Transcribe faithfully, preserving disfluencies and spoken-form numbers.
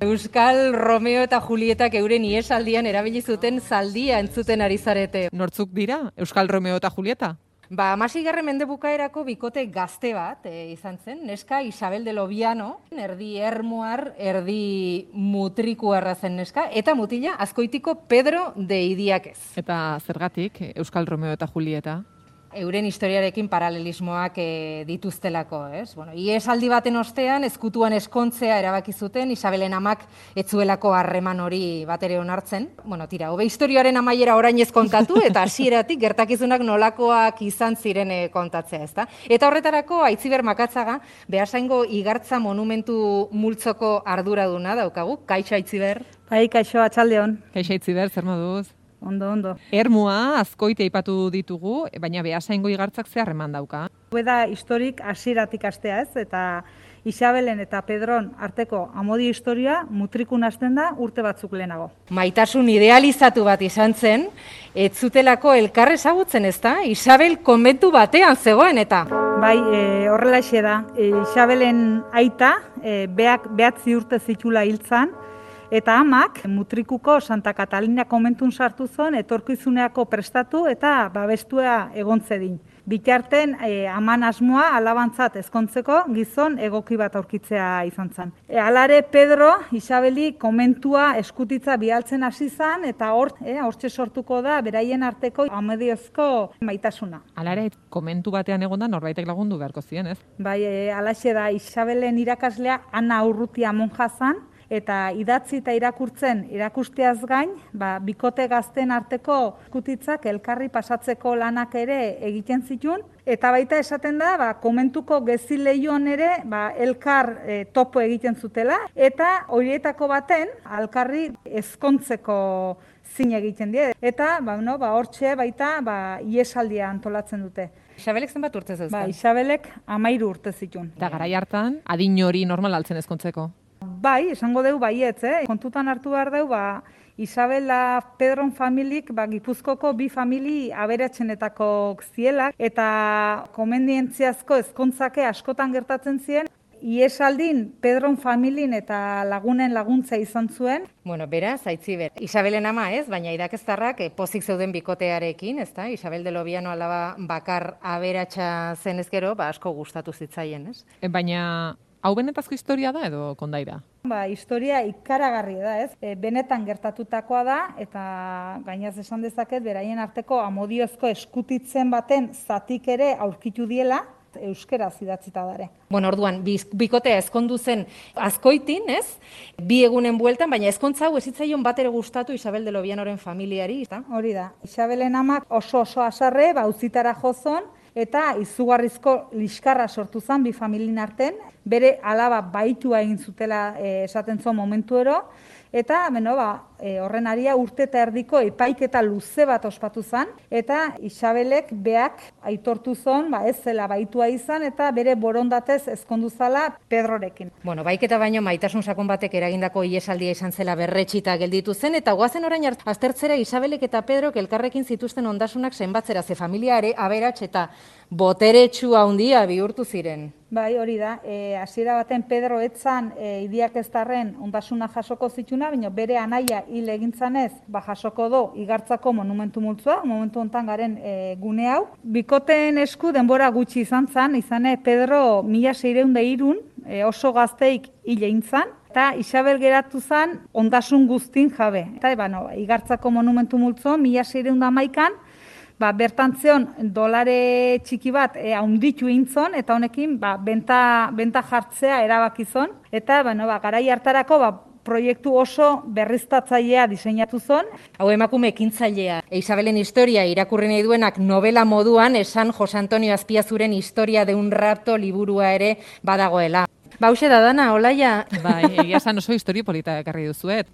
Euskal Romeo eta Julietak euren iesaldian erabili zuten zaldia entzuten ari zarete. Nortzuk dira, Euskal Romeo eta Julieta? Ba, hamaseigarren mende bukaerako bikote gazte bat e, izan zen, neska Isabel de Lobiano, erdi ermuar, erdi mutrikuarra zen neska, eta mutila Azkoitiko Pedro de Idiakez. Eta zergatik, Euskal Romeo eta Julieta? Euren historiarekin paralelismoak e, dituztelako, ez? Bueno, iesaldi baten ostean, ezkutuan eskontzea erabaki zuten, Isabelen amak etzuelako harreman hori batere onartzen. Bueno, tira, hobe historiaren amaiera orain ez kontatu, eta hasieratik gertakizunak nolakoak izan ziren e, kontatzea, ezta? Eta horretarako, Aitziber Makatzaga, Beasaingo Igartza Monumentu multzoko arduraduna daukagu. Kaixo, Aitziber? Bai, kaixo, atxaldeon. Kaixo, Aitziber, zer moduz? Ondo, ondo. Ermua, Azkoite aipatu ditugu, baina Beasaingo Igartzak ze harreman dauka? Beda historik hasieratik astea ez, eta Isabelen eta Pedron arteko amodio historia mutrikun hasten da urte batzuk lehenago. Maitasun idealizatu bat izan zen, ez zutelako elkar ezagutzen, ezta? Isabel konbentu batean zegoen eta. Bai, e, horrelaxe da. E, Isabelen aita, e, beak behatzi urte zitula hiltzan, eta amak mutrikuko Santa Catalina komentun sartu zon, etorkizuneako prestatu eta babestua egon zedin. Bitarten e, aman asmoa alabantzat ezkontzeko gizon egoki bat aurkitzea izan zen. E, alare Pedro Isabeli komentua eskutitza bialtzen hasi zen eta hor e, hortxe sortuko da beraien arteko amodiozko maitasuna. Alare komentu batean egonda norbaitek lagundu beharko zien, ez? Bai, e, alaxe da Isabelen irakaslea Ana Urrutia monja zan, eta idatzi eta irakurtzen irakusteaz gain, ba, bikote gazten arteko eskutitzak elkarri pasatzeko lanak ere egiten zituen, eta baita esaten da, ba, komentuko gezi lehioan ere ba, elkar e, topo egiten zutela, eta horietako baten alkarri ezkontzeko zin egiten die. Eta ba, no, ba, hortxe baita ba, iesaldia antolatzen dute. Isabelek zenbat urte zeuzkan? Ba, Isabelek amairu urte zituen. Eta garai hartan, adin hori normal altzen ezkontzeko? Bai, esango dugu baietz, eh? Kontutan hartu behar dugu, ba, Isabela Pedron familik ba, Gipuzkoko bi famili aberatsenetako ziela, eta komendientziazko ezkontzake askotan gertatzen ziren, iesaldin Pedron familin eta lagunen laguntza izan zuen. Bueno, beraz, Aitziber, Isabelen ama ez, baina irakastarrak eh, pozik zeuden bikotearekin, ezta? Isabel de Lobiano alaba bakar aberatsa zen ezkero, ba, asko gustatu zitzaien, ez? E, baina hau benetazko historia da edo kondaira? Ba, historia ikaragarria da, ez? E, benetan gertatutakoa da, eta gainaz esan dezaket, beraien arteko amodiozko eskutitzen baten zatik ere aurkitu diela, euskeraz idatzita dare. Bueno, orduan, bikotea ezkondu zen Azkoitin, ez? Bi egunen bueltan, baina ezkontza hau ez zitzaion batere gustatu Isabel de Lobianoren familiari, ezta? Hori da. Isabelen amak oso oso asarre, ba, uzitara jozon, eta izugarrizko liskarra sortu zen bi familien arten, bere alaba baitua egin zutela e, esaten zuen momentuero, eta beno, ba, e, horren aria urte eta erdiko epaiketa luze bat ospatu zen, eta Isabelek beak aitortu zon, ba, ez zela baitua izan, eta bere borondatez ezkondu zala Pedrorekin. Bueno, baiketa baino maitasun sakon batek eragindako iesaldia izan zela berretxita gelditu zen, eta goazen orain aztertzera Isabelek eta Pedrok elkarrekin zituzten ondasunak zenbatzera, ze familiare aberats eta boteretsu handia bihurtu ziren. Bai, hori da. E, hasiera baten Pedro etzan e, Idiakeztarren ondasuna jasoko zituna, baina bere anaia hil egintzanez, ba jasoko do Igartzako monumentu multzoa, momentu hontan garen e, gune hau. Bikoteen esku denbora gutxi izan zen, izane Pedro mila seiehun eta hirun e, oso gazteik hil egin zan, eta Isabel geratu zen ondasun guztin jabe. Eta ba, no, Igartzako monumentu multzo mila seiehun eta hamaikan, ba, bertantzeon dolare txiki bat e, haunditu intzon, eta honekin ba, benta, benta jartzea erabakizon. Eta ba, no, ba, garai hartarako ba, proiektu oso berriztatzailea diseinatu zon. Hau emakume ekintzailea. E, Isabelen historia irakurri nahi duenak novela moduan esan Jose Antonio Azpiazuren historia de un rapto liburua ere badagoela. Bauxe da dana, Olaia. Bai, egia esan oso historia polita ekarri duzuet.